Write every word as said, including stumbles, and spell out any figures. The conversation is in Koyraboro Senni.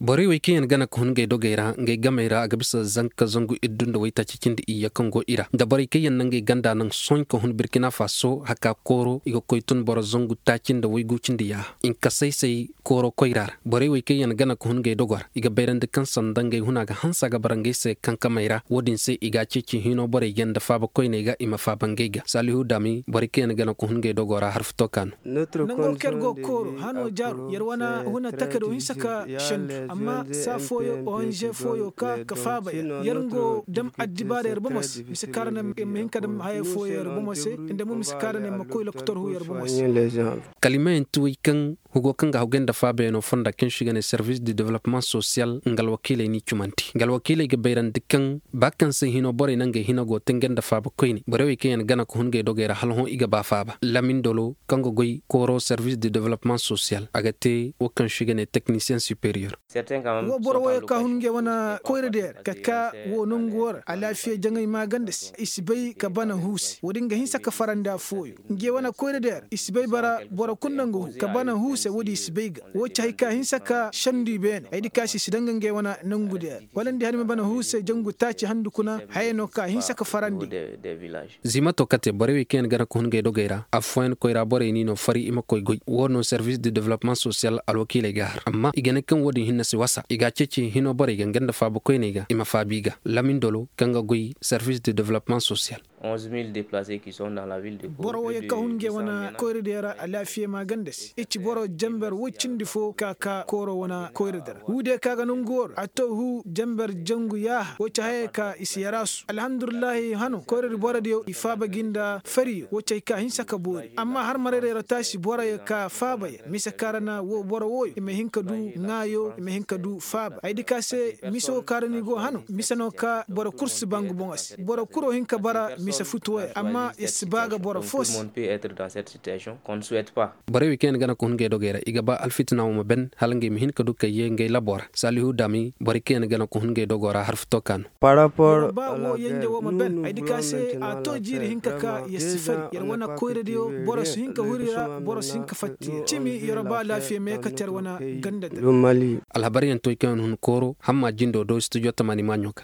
Borey wey kaŋ yaŋ gana ka hun ngey dogey ra ngey gamey ra a ga bisa zanka zangu iddu nda waytaaci cindi iyye kaŋ go i ra nda borey kaŋ yaŋ na ngey ganda naŋ sohõ ka hun birkina faso haka kooro i ga koy tun boro zangu taaci nda waygu cindi yaaha. Nkasay say kooro koyra ra borey wey kaŋ yaŋ gana ka hun ngey dogo ra i ga bayrandi kaŋ sanda ngey huna ga hanse a ga bara ngey se kankamey ra wo-din se i ga a ceeci hino borey ga nda faaba koyney ga i ma faaba ngey ga saalihu daami borey kaŋ yaŋ gana ka hun ngey dogo ra harfuto ka no. Nango kaŋ yer go ga kooro hano jaaru yer wane huna takado hinsa ka sendu amma saa fooyo onze fooyo ka ka faaba yer yer ngo dam addibaara yer bomo se mise kaŋ ra no yer ma hin ka dam haya fooyo yer bomo se nda mo mise kaŋ ra no yer ma koy lokotor hu yer bomo se. Kala i ma yaŋ ti wey kaŋ hugo kaŋ ga haggoy nda faabayaŋo fonda kaŋ se i ga ne servis de developpement sosiyal nga alwakiiley n'i cumandi nga alwakiiley ga bayrandi kaŋ ba kaŋ se hino borey na ngey hina go te nga nda faaba koyne borey wey kaŋ yaŋ gana ka hun ngey dogey ra hala hõ i ga ba faaba lamindolo kaŋ ga goy kooro servis de developpement sosiyal a ga te wo kaŋ se i ga ne teknisiyeŋ superiyer. Wo boro wooyo ka hun ngey wane koyra deer ka ka wo nangu wo ra alaafiya jaŋay maaganda se i si bay ka bana huuse wo-din ga hinsa ka farandi affooyo. Ngey wane koyra deer i si bay bara boro kulu no nga hu ka bana huuse wo-din i si bay ga wo ci hay ka hinsa ka sendu i beene ay di ka se i si daŋ ga ngey wane nangu deer wala nda i har i ma bana huuse jangu taaci handu kuna haya no ka hinsa ka farandi. Ziimato kate borey wey kaŋ yaŋ gana ka hun ngey dogey ra affooyaŋ koyra borey n'i no fari i ma koy goy wo no servis de developpement sosiyal alwakiiley ga a har amma i ga ne kaŋ wo-din hinne si wasa i ga a ceeci hino borey ga nga nda faaba koyney ga i ma faabi ga lamindolo kaŋ ga goy servis de developpement sosiyal. Boro wooyo ka hun ngey wane koyra diya ra alaafiya maaganda se i ci boro jenber woy cindi fo ka ka kooro wane koyra di ra hu diya ka ga nangu wo ra a to hu jenber jangu yaaha wo ci hayey ka i si yaraasu alhamdulillahi hano koyra di boro diyo i faaba gi nda fariyo wo ci hay ka hinsa ka boori amma har marayra yer taasi boroyo ka faaba yer mise kaŋ ra na wo boro wooyo i ma hin ka du ŋaayo i ma hin ka du faaba ay di ka se mise wo kaŋ ra no i go hano mise no ka boro kul si ba nga boŋo se boro kul wo hin ka bara mise futuwey amma yer si ba ga boro fo se. Borey wey kaŋ yaŋ gana ka hun ngey dogey ra i ga ba alfitina wo ma ben hala ngey ma hin ka du ka yee ngey labo ra saalihu daami borey kaŋ yaŋ gana ka hun ngey dogo ra harfuto ka no. Boro ba wo yenje wo ma ben ay di ka se a to jiiri hinka ka yer si fari yer wane koyradiyo boro si hin ka huri ra boro si hin ka fatti yer cimi yer ba alaafiya me kate yer wane ganda da. Alhabaryaŋ toy kaŋ yaŋ hun kooro hamma jindo do studio tamaani maaɲo ga.